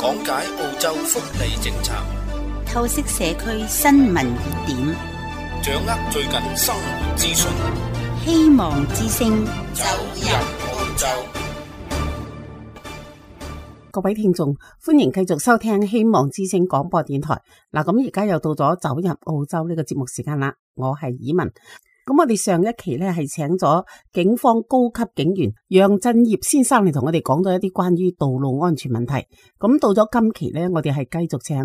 講解澳洲福利政策，透析社區新聞熱點，掌握最近生活資訊，希望之聲走入澳洲。各位聽眾，歡迎繼續收聽希望之聲廣播電台。嗱，咁而家又到咗走入澳洲呢個節目時間啦。我係以文。咁我哋上一期咧係請咗警方高級警員楊振業先生嚟同我哋講咗一啲關於道路安全問題。咁到咗今期咧，我哋係繼續請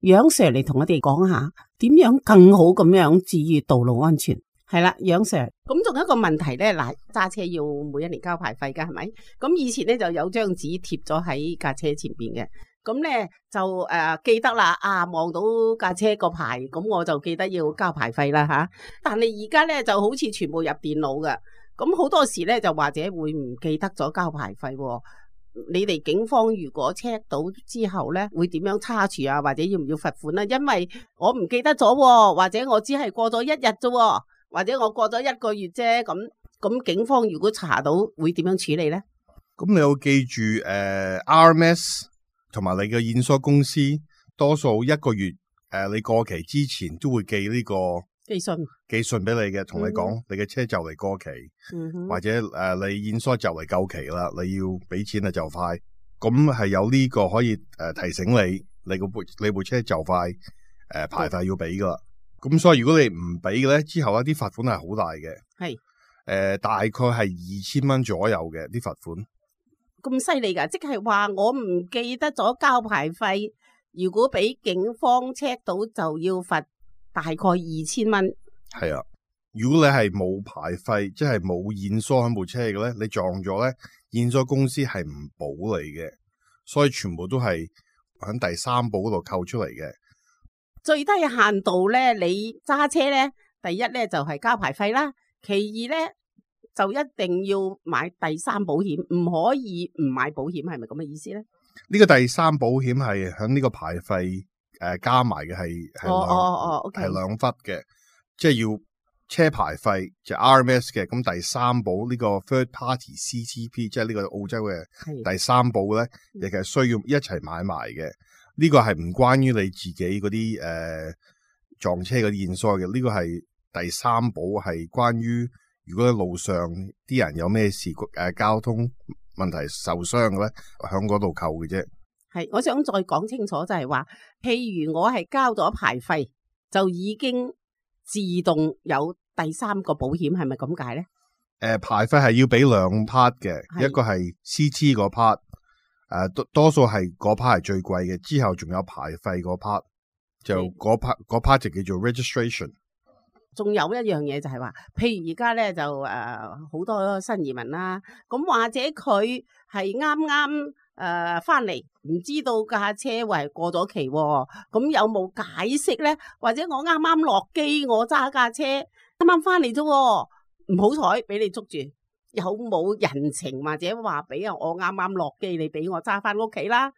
楊 Sir 嚟同我哋講下點樣更好咁樣治愈道路安全。係啦，楊 Sir， 咁仲有一個問題咧，嗱，揸車要每一年交牌費噶，係咪？咁以前咧就有張紙貼咗喺架車前邊嘅，咁咧就記得啦，望到架車個牌，咁我就記得要交牌費啦吓。但係而家咧就好似全部入電腦噶，咁好多時咧就或者會唔記得咗交牌費。你哋警方如果 check 到之後咧，會點樣查處啊？或者要唔要罰款啊？因為我唔記得咗，或者我只係過咗一日啫。或者我過咗1個月啫，咁警方如果查到會點樣處理咧？咁你要記住RMS 同埋你嘅驗收公司，多數1個月你過期之前都會寄呢個寄信俾你嘅，同你講你嘅車就嚟過期，或者你驗收就嚟夠期啦，你要俾錢啊就快，咁係有呢個可以提醒你部車就快牌費要俾噶啦。咁所以如果你唔俾嘅咧，之後一啲罰款係好大嘅，係大概係2000蚊左右嘅啲罰款。咁犀利噶，即係話我唔記得咗交牌費，如果俾警方 check 到就要罰大概2000蚊。係啊，如果你係冇牌費，即係冇驗收喺部車嘅咧，你撞咗咧，驗收公司係唔保你嘅，所以全部都係喺第3保嗰度扣出嚟嘅。最低限度咧，你揸車咧，第一咧就係交牌費啦，其二咧就一定要買第3保險，唔可以唔買保險，係咪咁嘅意思咧？呢個第3保險係喺呢個牌費加埋嘅，係2忽嘅，即係要車牌費就 RMS 嘅，咁第3保呢個 Third Party CTP， 即係呢個澳洲嘅第3保咧，亦係需要一齊買埋嘅。呢個係唔關於你自己嗰啲撞車嗰啲驗收嘅，呢個係第3保，係關於如果喺路上啲人有咩事交通問題受傷嘅咧，喺嗰度扣嘅啫。係，我想再講清楚就係話，譬如我係交咗牌費，就已經自動有第3個保險，係咪咁解咧？牌費係要俾2 part 嘅，一個係 CT 嗰 part。多數係嗰 part 係最貴嘅，之後仲有牌費嗰 part， 就嗰 part 就叫做 registration。仲有一樣嘢就係話，譬如而家咧就好多新移民啦，咁或者佢係啱啱翻嚟，唔知道架車為過咗期，咁有冇解釋咧？或者我啱啱落機，我揸架車啱啱翻嚟啫，唔好彩俾你捉住。有冇人情或者話俾我啱啱落機，你俾我揸翻屋企啦？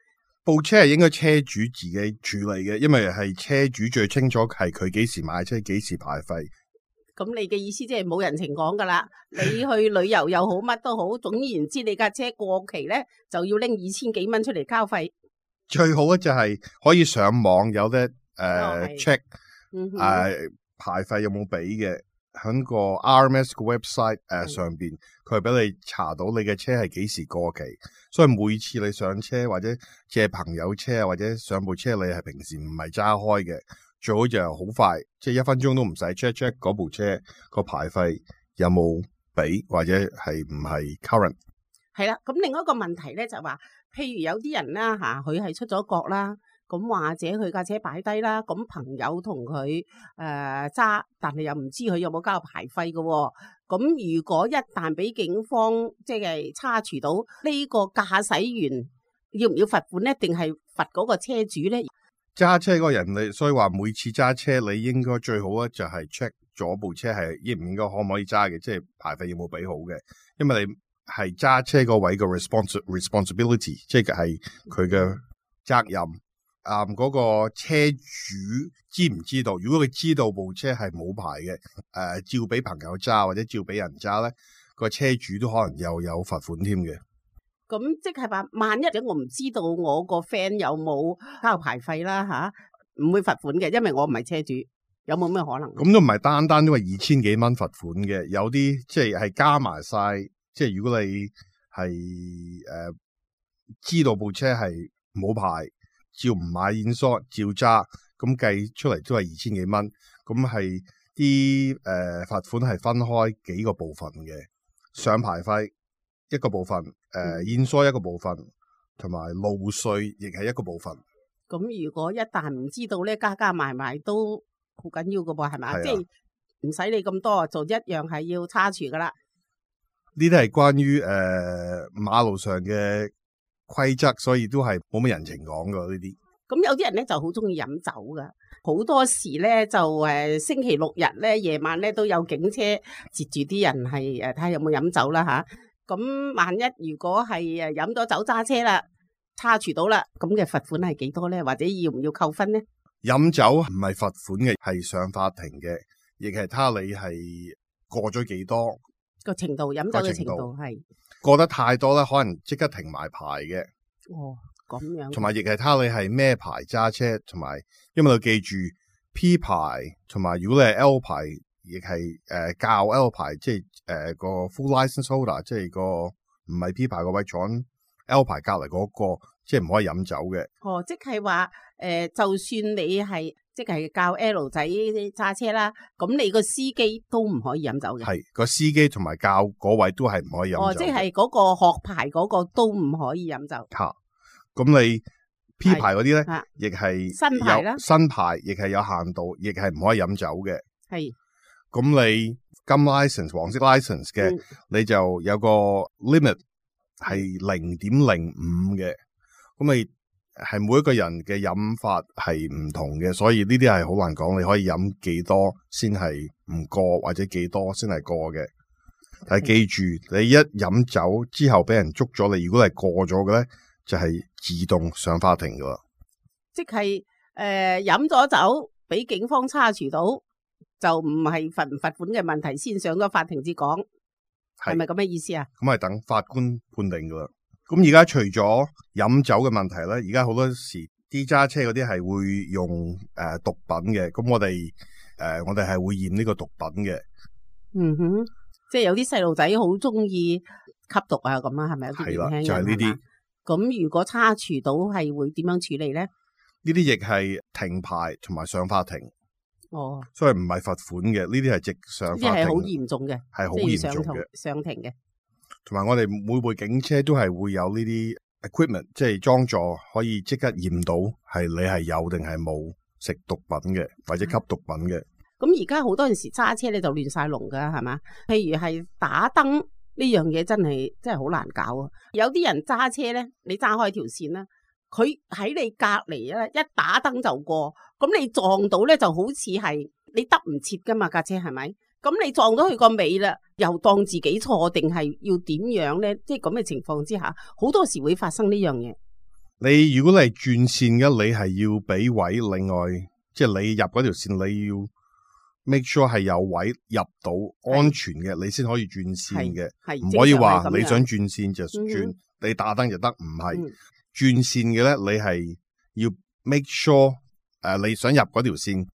部車係應該車主自己處理嘅，因為係車主最清楚係佢幾時買車，幾時牌費。咁你嘅意思即係冇人情講噶啦？你去旅遊又好，乜都好，總言之你架車過期咧，就要拎2000幾蚊出嚟交費。最好咧就係可以上網有得check 牌費有冇俾嘅。喺個 RMS 個 website 上邊，佢係俾你查到你嘅車係幾時過期，所以每次你上車或者借朋友車或者上部車，你係平時唔係揸開嘅，最好就好快，即係1分鐘都唔使 check 嗰部車個牌費有冇俾或者係唔係 current。係啦，咁另外一個問題咧就係話，譬如有啲人啦佢係出咗國啦。咁或者佢架車擺低啦，咁朋友同佢揸，但係又唔知佢有冇交牌費嘅喎。咁如果一旦俾警方即係查處到呢個駕駛員，要唔要罰款咧？定係罰嗰個車主咧？揸車嗰個人，你所以話每次揸車你應該最好咧就係 check 咗部車係應唔應該可唔可以揸嘅，即係牌費有冇俾好嘅，因為你係揸車嗰位嘅 responsibility， 即係佢嘅責任。嗰個車主知唔知道？如果佢知道部車係冇牌嘅，照俾朋友揸或者照俾人揸咧，個車主都可能又有罰款添嘅。咁即係話，萬一我唔知道我個 friend 有冇交牌費啦吓，唔會罰款嘅，因為我唔係車主，有冇咩可能？咁都唔係單單因為2000幾蚊罰款嘅，有啲即係加埋晒，即係如果你係知道部車係冇牌，照唔買現疏照揸，咁計出嚟都係2000幾蚊，咁係啲罰款係分開幾個部分嘅，上牌費一個部分，現疏一個部分，同埋路稅亦係一個部分。咁如果一旦唔知道咧，加埋都好緊要噶噃，係咪？即係唔使你咁多，就一樣係要叉除噶啦。呢啲係關於馬路上嘅規則，所以都係冇乜人情講噶呢啲。咁有啲人咧就好中意飲酒噶，好多時咧就星期六日咧夜晚咧都有警車截住啲人係睇下有冇飲酒啦吓。咁萬一如果係飲咗酒揸車啦，叉除到啦，咁嘅罰款係幾多咧？或者要唔要扣分咧？飲酒唔係罰款嘅，係上法庭嘅，亦係睇下你係過咗幾多個程度，飲酒嘅程度係過得太多咧，可能即刻停埋牌嘅。哦，咁樣。同埋亦係睇下你係咩牌揸車，同埋因為你要記住 P 牌，同埋如果你係 L 牌，亦係較 L 牌，即係個 full license holder， 即係個唔係 P 牌個位坐 L 牌隔籬嗰個，即係唔可以飲酒嘅。哦，即係話就算你係即係教 L 仔揸車啦，咁你個司機都唔可以飲酒嘅。係個司機同埋教嗰位都係唔可以飲酒。哦，即係嗰個學牌嗰個都唔可以飲酒。吓，咁你 P 牌嗰啲咧，亦係新牌啦，新牌亦係有限度，亦係唔可以飲酒嘅。係。咁你金 license、黃色 license 嘅，你就有個 limit 係0.05嘅。咁你係每一個人嘅飲法係唔同嘅，所以呢啲係好難講。你可以飲幾多先係唔過，或者幾多先係過嘅。但係記住，你一飲酒之後俾人捉咗你，如果係過咗嘅咧，就係自動上法庭噶啦。即係飲咗酒俾警方叉除到，就唔係罰唔罰款嘅問題，先上咗法庭至講，係咪咁嘅意思啊？咁係等法官判定噶啦。咁而家除咗飲酒嘅問題咧，而家好多時啲揸車嗰啲係會用毒品嘅。咁我哋係會驗呢個毒品嘅。嗯哼，即係有啲細路仔好中意吸毒啊，咁啊，係咪有啲年輕人？係啦，就係呢啲。咁如果叉除到係會點樣處理咧？呢啲亦係停牌同埋上法庭。哦，所以唔係罰款嘅，呢啲係直上法庭。呢啲係好嚴重嘅，係好嚴重嘅，上庭嘅。同埋我哋每部警車都係會有呢啲 equipment， 即係裝座可以即刻驗到係你係有定係冇食毒品嘅，或者吸毒品嘅。咁而家好多陣時揸車咧就亂晒龍噶，係嘛？譬如係打燈呢樣嘢真係好難搞啊！有啲人揸車咧，你揸開條線啦，佢喺你隔籬咧，一打燈就過，咁你撞到咧就好似係你得唔切噶嘛架車，係咪？咁你撞到佢個尾啦，又當自己錯定係要點樣咧？即係咁嘅情況之下，好多時會發生呢樣嘢。你如果你係轉線嘅，你係要俾位，另外即係你入嗰條線，你要 make sure 係有位入到安全嘅，你先可以轉線嘅，唔可以話你想轉線就轉，你打燈就得，唔係。轉線嘅咧，你係要 make sure 你想入嗰條線。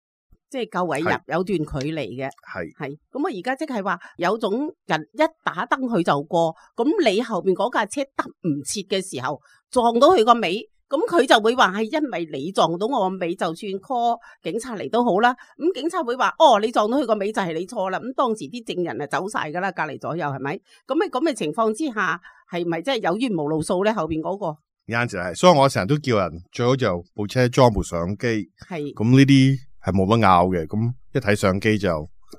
即係夠位入，有段距離嘅，係咁啊！而家即係話有種人一打燈佢就過，咁你後邊嗰架車得唔切嘅時候撞到佢個尾，咁佢就會話係因為你撞到我個尾，就算 call 警察嚟都好啦。咁警察會話哦，你撞到佢個尾就係你錯啦。咁當時啲證人啊走晒噶啦，隔籬左右係咪？咁喺咁嘅情況之下，係咪真係有冤無路訴咧？後邊嗰個啱就係，所以我成日都叫人最好就部車裝部相機，係咁呢啲。係冇得拗嘅，咁一睇相機就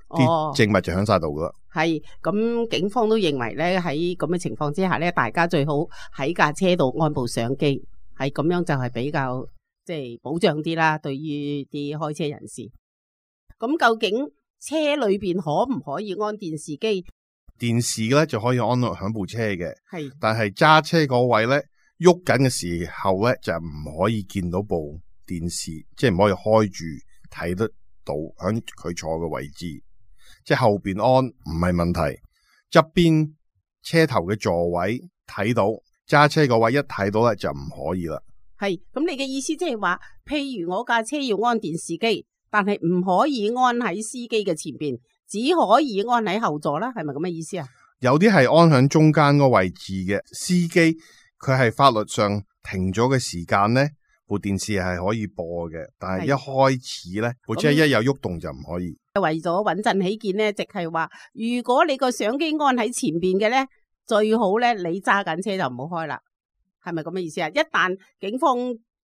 啲證物就響晒度噶啦。係咁，警方都認為咧喺咁嘅情況之下咧，大家最好喺架車度安部相機，係咁樣就係比較即係保障啲啦。對於啲開車人士，咁究竟車裏邊可唔可以安電視機？電視咧就可以安落響部車嘅，係，但係揸車嗰位咧喐緊嘅時候咧就唔可以見到部電視，即係唔可以開住。睇得到響佢坐嘅位置，即係後邊安唔係問題，側邊車頭嘅座位睇到，揸車嗰位一睇到咧就唔可以啦。係，咁你嘅意思即係話，譬如我架車要安電視機，但係唔可以安喺司機嘅前邊，只可以安喺後座啦，係咪咁嘅意思啊？有啲係安喺中間嗰個位置嘅司機，佢係法律上停咗嘅時間咧，部電視係可以播嘅，但係一開始咧，部車一有喐動就唔可以。為咗穩陣起見咧，即係話，如果你個相機安喺前邊嘅咧，最好咧你揸緊車就唔好開啦。係咪咁嘅意思啊？一旦警方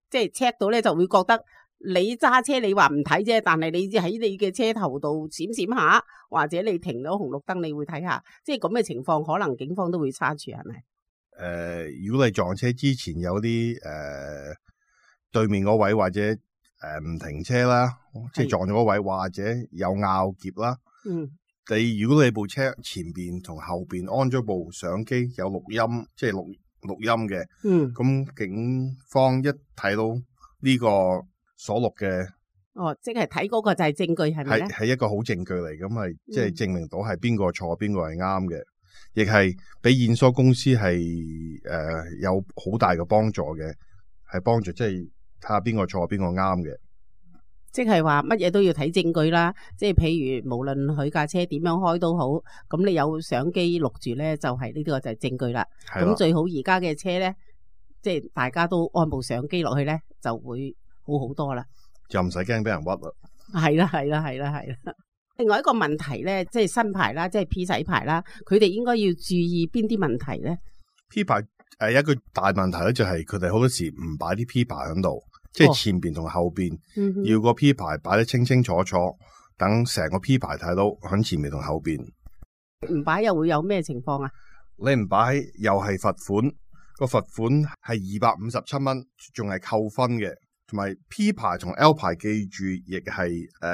即係 check 到咧，就會覺得你揸車你話唔睇啫，但係你喺你嘅車頭度閃閃下，或者你停咗紅綠燈，你會睇下，即係咁嘅情況，可能警方都會查處，係咪？如果你撞車之前有啲對面嗰位或者唔停車啦，即係撞咗嗰位或者有拗劫啦，如果你部車前邊同後邊安咗部相機有錄音，即係錄音嘅，咁警方一睇到呢個所錄嘅，即係睇嗰個就係證據，係咪咧？係一個好證據嚟，咁係即係證明到係邊個錯，邊個係啱嘅，亦係俾驗疏公司係有好大嘅幫助嘅，係幫助即係睇下邊個錯，邊個啱嘅。即係話乜嘢都要睇證據啦，即係譬如無論佢架車點樣開都好，咁你有相機錄住咧，就係呢個就係證據啦。咁最好而家嘅車咧，即係大家都安部相機落去咧，就會好好多啦，就唔使驚俾人屈啦。係啦，係啦，係啦，係啦。另外一個問題咧，即係新牌啦，即係 P 仔牌啦，佢哋應該要注意邊啲問題咧 ？P 牌一個大問題咧，就係佢哋好多時唔擺啲 P 牌喺度。即係前邊同後邊，要個 P 牌擺得清清楚楚，等成個 P 牌睇到喺前面同後邊。唔擺又會有咩情況啊？你唔擺又係罰款，個罰款係257蚊，仲係扣分嘅。同埋 P 牌同 L 牌，記住亦係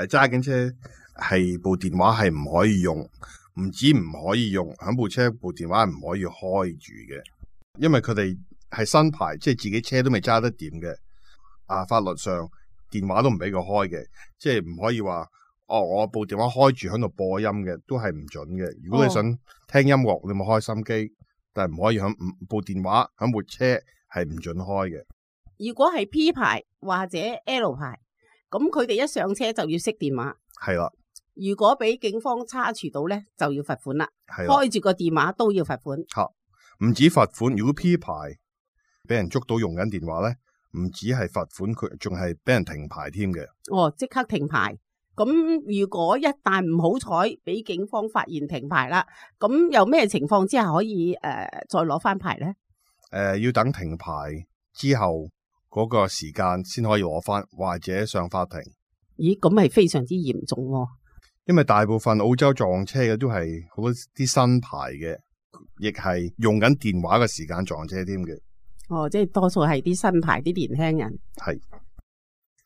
揸緊車係部電話係唔可以用，唔止唔可以用，喺部車部電話係唔可以開住嘅，因為佢哋係新牌，即係自己車都未揸得掂嘅。法律上電話都唔俾佢開嘅，即係唔可以話我部電話開住喺度播音嘅，都係唔準嘅。如果你想聽音樂，你咪開心機，但係唔可以響部電話響部車係唔準開嘅。如果係 P 牌或者 L 牌，咁佢哋一上車就要熄電話。係啦。如果俾警方查處到咧，就要罰款啦。係啦。開住個電話都要罰款。唔止罰款，如果 P 牌俾人捉到用緊電話咧，唔止係罰款，佢仲係俾人停牌添嘅。即刻停牌。咁如果一旦唔好彩俾警方發現停牌啦，咁有咩情況之下可以再攞翻牌咧？要等停牌之後嗰個時間先可以攞翻，或者上法庭。咦，咁係非常之嚴重喎。因為大部分澳洲撞車嘅都係好多啲新牌嘅，亦係用緊電話嘅時間撞車添嘅。即係多數係啲新牌啲年輕人。係。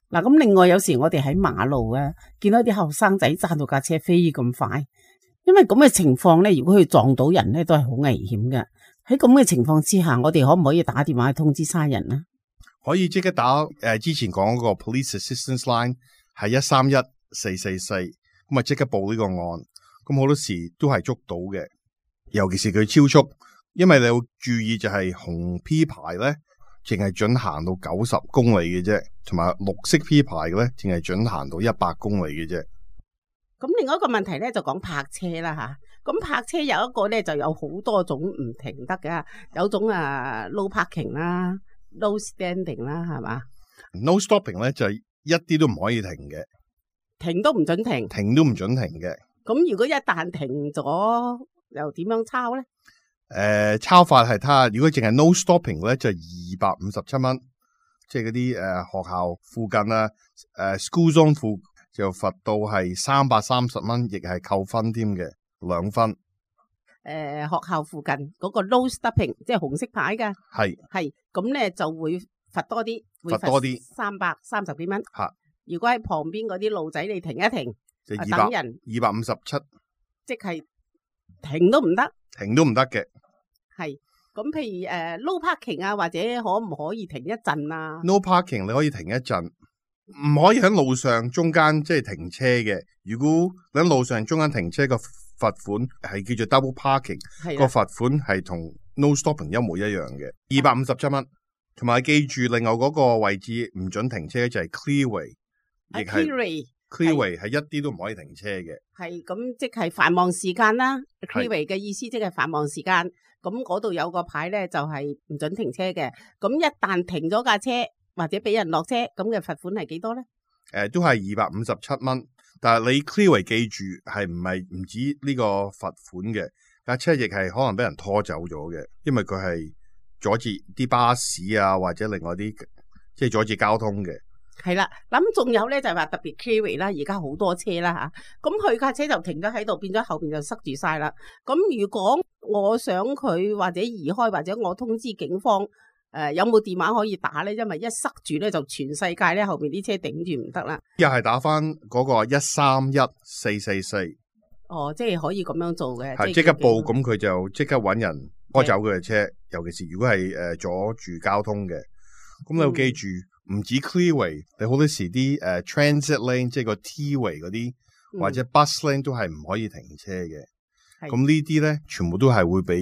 嗱，咁另外有時我哋喺馬路啊，見到啲後生仔揸到架車飛咁快，因為咁嘅情況咧，如果佢撞到人咧，都係好危險嘅。喺咁嘅情況之下，我哋可唔可以打電話去通知差人啊？可以即刻打之前講嗰個 Police Assistance Line 係131-444，咁啊即刻報呢個案。咁好多時都係捉到嘅，尤其是佢超速。因為你要注意就係紅 P 牌咧，淨係准行到90公里嘅啫，同埋綠色 P 牌嘅咧，淨係准行到100公里嘅啫。咁另外一個問題咧就講泊車啦吓，咁泊車有一個咧就有好多種唔停得嘅，有種no parking 啦 ，no standing 啦，係嘛 ？No stopping 咧就一啲都唔可以停嘅，停都唔准停，停都唔准停嘅。咁如果一旦停咗，又點樣抄咧？抄法係睇下，如果淨係 no stopping 咧就257蚊，即係嗰啲學校附近啊，school zone 附就罰到係330蚊，亦係扣分添嘅，2分。學校附近嗰個 no stopping 即係紅色牌㗎，係咁咧就會罰多啲，罰多啲330幾蚊。如果喺旁邊嗰啲路仔你停一停，就等人257，即係停都唔得。停都唔得嘅，係咁。譬如no parking 啊，或者可唔可以停一陣啊 ？No parking 你可以停一陣，唔可以喺路上中間即係停車嘅。如果你喺路上中間停車個罰款係叫做 double parking，個罰款係同 no stopping 一模一樣嘅，257蚊。同埋記住，另外嗰個位置唔准停車就係 clearway， 亦係 clearway 係一啲都唔可以停車嘅。係咁，即係繁忙時間啦。clearway 嘅意思即係繁忙時間，咁嗰度有個牌咧就係唔准停車嘅。咁一旦停咗架車或者俾人落車，咁嘅罰款係幾多咧？都係257蚊。但係你 clearway 記住係唔止呢個罰款嘅，架車亦係可能俾人拖走咗嘅，因為佢係阻止啲巴士啊，或者另外啲即係阻止交通嘅。係啦，咁仲有咧就係話特別 clearway 啦，而家好多車啦吓，咁佢架車就停咗喺度，變咗後邊就塞住晒啦。咁如果我想佢或者移開，或者我通知警方，有冇電話可以打咧？因為一塞住咧就全世界咧後邊啲車頂住唔得啦。又係打翻嗰個131444。哦，即係可以咁樣做嘅，係即刻報，咁佢就即刻搵人拖走佢嘅車，尤其是如果係阻住交通嘅。咁你要記住，唔止 clearway， 你好多時啲transit lane， 即係個 T-way 嗰啲，或者 bus lane 都係唔可以停車嘅。咁呢啲咧，全部都係會俾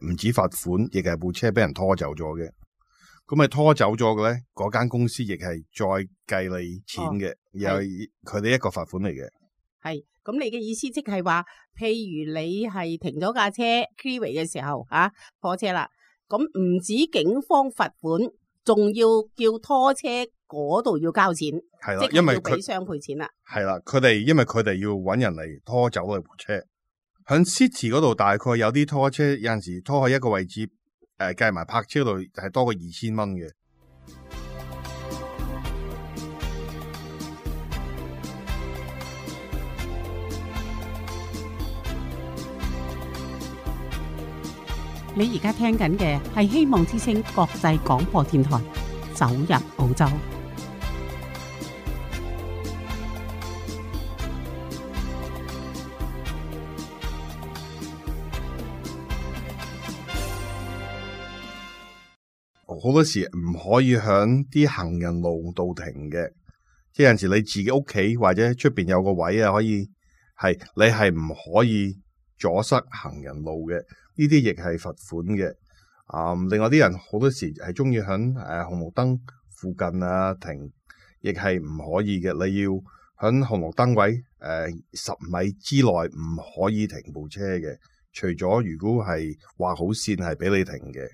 唔止罰款，亦係部車俾人拖走咗嘅。咁咪拖走咗嘅咧，嗰間公司亦係再計你錢嘅，又係佢哋一個罰款嚟嘅。係，咁你嘅意思即係話，譬如你係停咗架車 clearway 嘅時候啊，拖車啦，咁唔止警方罰款，仲要叫拖車嗰度要交錢，係啦，即係要俾雙倍錢啦。係啦，因為佢哋要搵人嚟拖走你部車。喺 City 嗰度大概有啲拖車，有陣時拖去一個位置，計埋泊車度係多過2000蚊嘅。你而家聽緊嘅係希望之聲國際廣播電台，走入澳洲。好多時唔可以響啲行人路度停嘅，即係有陣時你自己屋企或者出邊有個位啊，可以係你係唔可以阻塞行人路嘅。呢啲亦係罰款嘅。另外啲人好多時係中意響紅綠燈附近啊停，亦係唔可以嘅。你要響紅綠燈位10米之內唔可以停部車嘅，除咗如果係畫好線係俾你停嘅。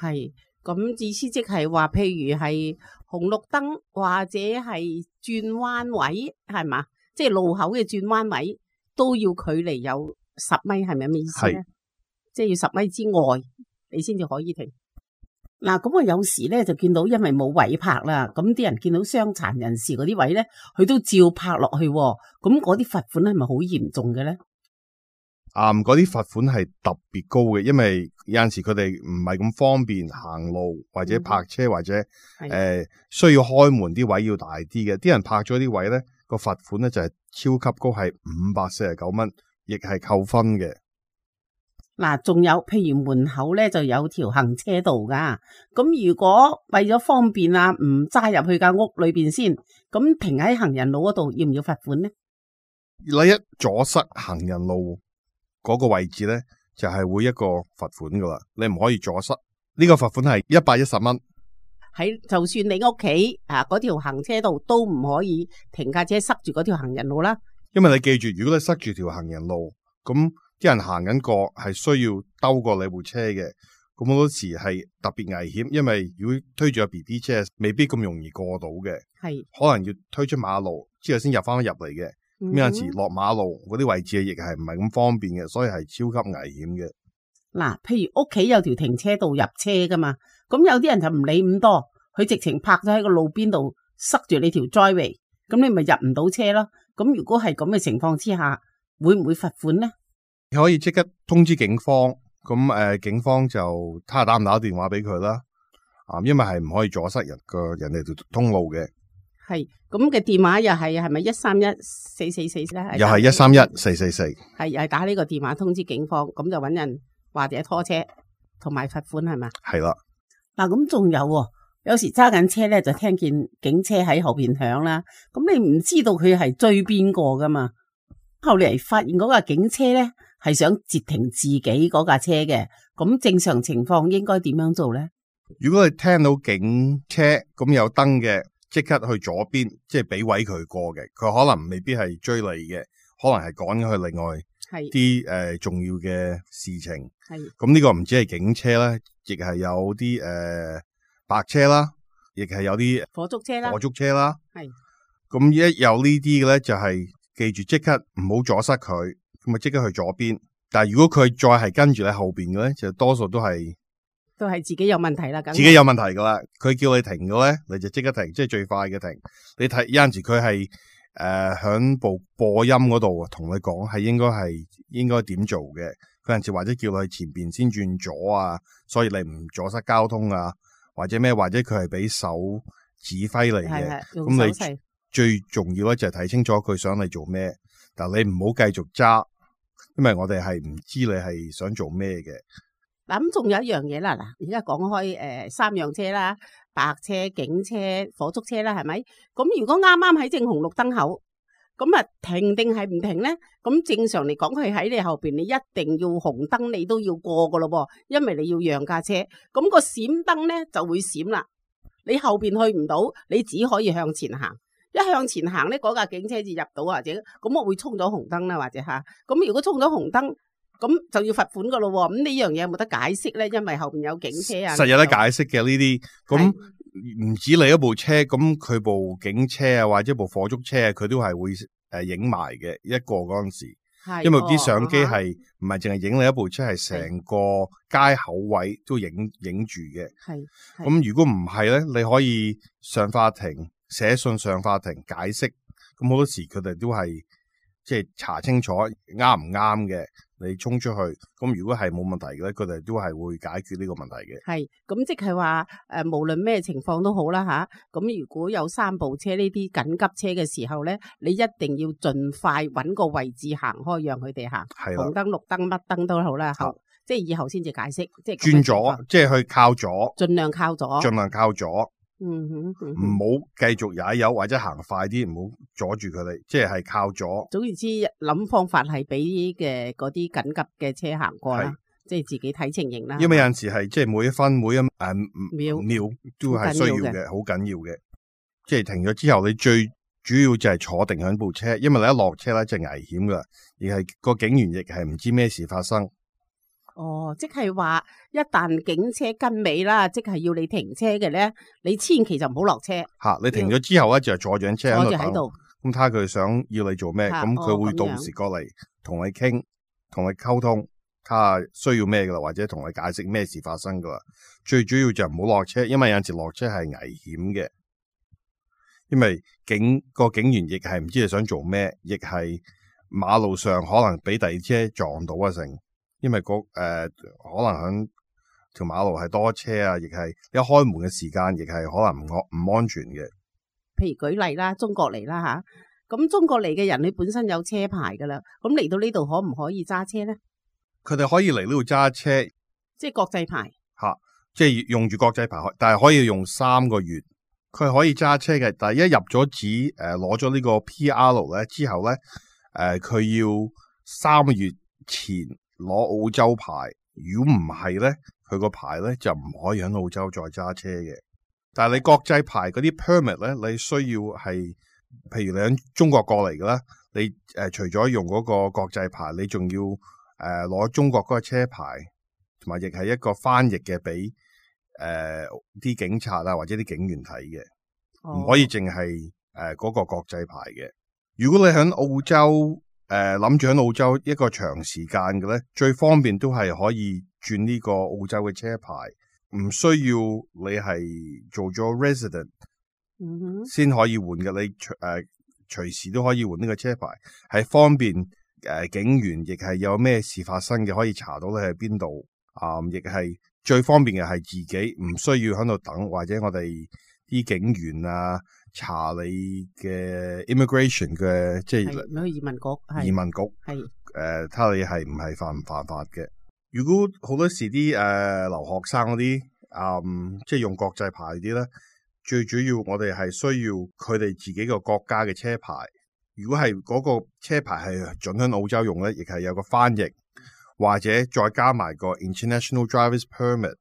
係，咁意思即係話，譬如係紅綠燈或者係轉彎位，係嘛？即係路口嘅轉彎位都要距離有10米，係咪咁嘅意思咧？即係要10米之外，你先至可以停。嗱，咁我有時咧就見到，因為冇位泊啦，咁啲人見到傷殘人士嗰啲位咧，佢都照泊落去。咁嗰啲罰款係咪好嚴重嘅咧？嗰啲罰款係特別高嘅，因為有陣時佢哋唔係咁方便行路或者泊車，或者需要開門啲位要大啲嘅。啲人泊咗啲位咧，個罰款咧就係超級高，係549蚊，亦係扣分嘅。嗱，仲有譬如門口咧就有條行車道噶，咁如果為咗方便啊，唔揸入去間屋裏邊先，咁停喺行人路嗰度要唔要罰款呢？你一阻塞行人路嗰個位置咧，就係會一個罰款噶啦，你唔可以阻塞。呢個罰款係110蚊。喺就算你屋企嗰條行車道都唔可以停架車塞住嗰條行人路啦。因為你記住，如果你塞住條行人路，咁啲人行緊過係需要兜過你部車嘅，咁好多時係特別危險。因為如果推住個 BB 車，未必咁容易過到嘅，係可能要推出馬路之後先入翻入嚟嘅。咁有陣時落馬路嗰啲位置亦係唔係咁方便嘅，所以係超級危險嘅。嗱，譬如屋企有條停車道入車噶嘛，咁有啲人就唔理咁多，佢直情泊咗喺個路邊度塞住你條 driveway， 咁你咪入唔到車咯。咁如果係咁嘅情況之下，會唔會罰款呢？你可以即刻通知警方，咁警方就睇下打唔打電話俾佢啦。因為係唔可以阻塞人哋條通路嘅。係，咁嘅電話又係咪131-444咧？又係131-444。係，又係打呢個電話通知警方，咁就搵人或者拖車同埋罰款係嘛？係啦。嗱，咁仲有時揸緊車咧，就聽見警車喺後邊響啦，咁你唔知道佢係追邊個噶嘛？後嚟發現嗰個警車咧係想截停自己嗰架車嘅，咁正常情況應該點樣做咧？如果你聽到警車咁有燈嘅，即刻去左邊，即係俾位佢過嘅。佢可能未必係追你嘅，可能係趕咗去另外啲重要嘅事情。咁呢個唔止係警車啦，亦係有啲白車啦，亦係有啲火燭車啦。咁一有呢啲嘅咧，就係記住即刻唔好阻塞佢，咁啊即刻去左邊。但係如果佢再係跟住喺後邊嘅咧，就多數都係自己有問題啦，自己有問題噶啦。佢叫你停嘅咧，你就即刻停，即係最快嘅停。你睇有陣時佢係響部播音嗰度同你講係應該點做嘅。有陣時或者叫你去前邊先轉左啊，所以你唔阻塞交通啊，或者咩，或者佢係俾手指揮嚟嘅。咁你最重要咧就係睇清楚佢想你做咩，但你唔好繼續揸，因為我哋係唔知你係想做咩嘅。嗱，咁仲有一樣嘢啦，嗱，而家講開三樣車啦，白車、警車、火燭車啦，係咪？咁如果啱啱喺正紅綠燈口，咁啊停定係唔停咧？咁正常嚟講，佢喺你後邊，你一定要紅燈，你都要過噶咯噃，因為你要讓架車。咁個閃燈咧就會閃啦，你後邊去唔到，你只可以向前行。一向前行咧，嗰架警車至入到，或者咁我會衝咗紅燈啦，或者吓。咁如果衝咗紅燈，咁就要罰款噶咯。咁呢樣嘢有冇得解釋咧？因為後邊有警車啊，實有得解釋嘅呢啲。咁唔止你一部車，咁佢部警車啊，或者部火燭車啊，佢都係會影埋嘅一個嗰陣時。因為啲相機係唔係淨係影你一部車，係成個街口位都影住嘅。咁如果唔係咧，你可以上法庭寫信上法庭解釋。咁好多時佢哋都係即係查清楚啱唔啱嘅。你衝出去，咁如果係冇問題嘅咧，佢哋都係會解決呢個問題嘅。咁即係話無論咩情況都好啦吓。咁如果有三部車呢啲緊急車嘅時候咧，你一定要盡快揾個位置行開，讓佢哋行。紅燈、綠燈、乜燈都好啦。即係以後先至解釋，即係轉左，即係去靠左，盡量靠左。唔好繼續踩油或者行快啲，唔好阻住佢哋，即係靠左。總言之，諗方法係俾嘅嗰啲緊急嘅車行過啦，即係自己睇情形啦。因為有陣時係即係每一分每一秒都係需要嘅，好緊要嘅。即係停咗之後，你最主要就係坐定喺部車，因為你一落車咧就危險噶，而係個警員亦係唔知咩事發生。即係話一旦警車跟尾啦，即係要你停車嘅咧，你千祈就唔好落車。你停咗之後咧就坐住車喺度，咁睇下佢想要你做咩，咁佢會到時過嚟同你傾，同你溝通，睇下需要咩噶啦，或者同你解釋咩事發生噶啦。最主要就唔好落車，因為有陣時落車係危險嘅，因為個警員亦係唔知你想做咩，亦係馬路上可能俾第二車撞到啊成。因為可能響條馬路係多車啊，亦係一開門嘅時間，亦係可能唔安全嘅。譬如舉例啦，中國嚟啦吓，咁中國嚟嘅人，你本身有車牌噶啦，咁嚟到呢度可唔可以揸車咧？佢哋可以嚟呢度揸車，即係國際牌即係用住國際牌，但係可以用3個月。佢可以揸車嘅，但係一入咗紙攞咗呢個 PR 咧之後咧，佢要3個月前攞澳洲牌，如果唔係咧，佢個牌咧就唔可以喺澳洲再揸車嘅。但係你國際牌嗰啲 permit 咧，你需要係，譬如你喺中國過嚟嘅啦，你除咗用嗰個國際牌，你仲要攞中國嗰個車牌，同埋亦係一個翻譯嘅俾啲警察啊或者啲警員睇嘅，唔可以淨係嗰個國際牌嘅。如果你喺澳洲諗住喺澳洲一個長時間嘅咧，最方便都係可以轉呢個澳洲嘅車牌，唔需要你係做咗 resident 先可以換嘅。你隨時都可以換呢個車牌，係方便警員亦係有咩事發生嘅可以查到你喺邊度，亦係最方便嘅係自己唔需要喺度等，或者我哋啲警員啊查你嘅 immigration 嘅，即係移民局，移民局係睇下你係唔係犯法嘅。如果好多時啲留學生嗰啲即係用國際牌啲咧，最主要我哋係需要佢哋自己個國家嘅車牌，如果係嗰個車牌係准喺澳洲用咧，亦係有個翻譯，或者再加埋個 International Drivers Permit。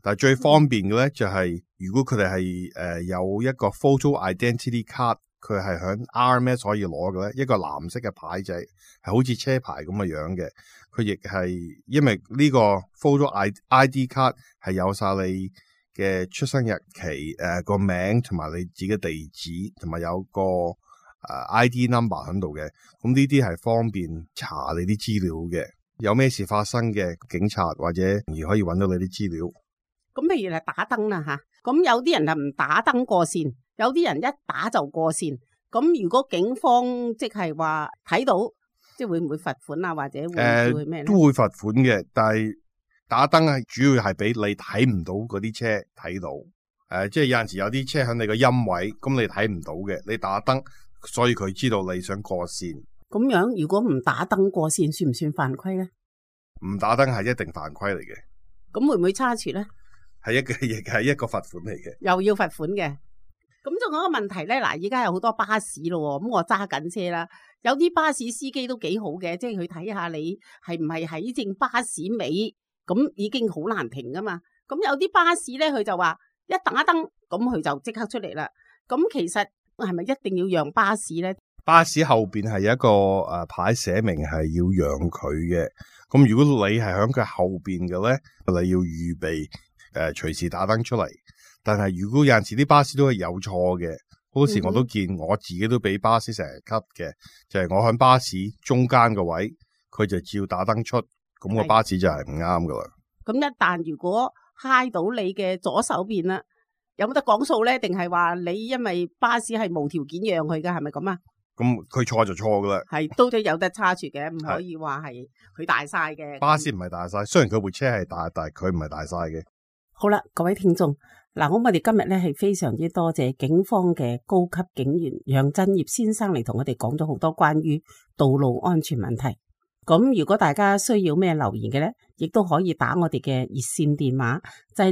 但係最方便嘅咧就係，如果佢哋係有一個 Photo Identity Card， 佢係響 RMS 可以攞嘅咧，一個藍色嘅牌仔係好似車牌咁嘅樣嘅。佢亦係因為呢個 Photo ID Card 係有晒你嘅出生日期、個名同埋你自己嘅地址，同埋有個ID number 喺度嘅。咁呢啲係方便查你啲資料嘅。有咩事發生嘅，警察或者容易可以揾到你啲資料。咁譬如係打燈啦吓，咁有啲人就唔打燈過線，有啲人一打就過線。咁如果警方即係話睇到，即係會唔會罰款啊？或者會咩咧？都會罰款嘅，但係打燈係主要係俾你睇唔到嗰啲車睇到。即係有陣時有啲車喺你個陰位，咁你睇唔到嘅，你打燈，所以佢知道你想過線。咁樣如果唔打燈過線，算唔算犯規咧？唔打燈係一定犯規嚟嘅。咁會唔會差處咧？亦係一個罰款嚟嘅，又要罰款嘅。咁仲有一個問題咧，嗱，而家有好多巴士咯，咁我揸緊車啦，有啲巴士司機都幾好嘅，即係佢睇下你係唔係喺正巴士尾，咁已經好難停噶嘛。咁有啲巴士咧，佢就話一打燈，咁佢就即刻出嚟啦。咁其實係咪一定要讓巴士咧？巴士後邊係有一個牌寫明係要讓佢嘅。咁如果你係喺佢後邊嘅咧，你要預備隨時打燈出嚟。但係如果有陣時啲巴士都係有錯嘅，好多時我都見我自己都俾巴士成日 cut 嘅，就係我喺巴士中間個位，佢就照打燈出，咁個巴士就係唔啱噶啦。咁一旦如果揩到你嘅左手邊啦，有冇得講數咧？定係話你因為巴士係無條件讓佢噶，係咪咁啊？咁佢錯就錯噶啦，係都有得差處嘅，唔可以話係佢大晒嘅。巴士唔係大晒，雖然佢部車係大，但係佢唔係大晒嘅。好啦，各位聽眾，嗱，我哋今日咧係非常之多謝警方嘅高級警員楊振業先生嚟同我哋講咗好多關於道路安全問題。咁如果大家需要咩留言嘅咧，亦都可以打我哋嘅熱線電話，就係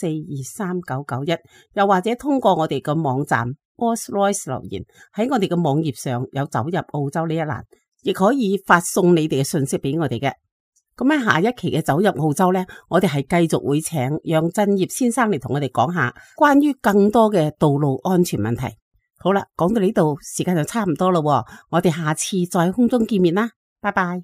0285423991，0285423991，又或者通過我哋嘅網站 Rolls-Royce 留言，喺我哋嘅網頁上有走入澳洲呢一欄，亦可以發送你哋嘅信息俾我哋嘅。咁喺下一期嘅走入澳洲呢，我哋係繼續會請楊振業先生嚟同我哋講下關於更多嘅道路安全問題。好啦，講到呢度時間就差唔多啦，我哋下次再空中見面啦，拜拜。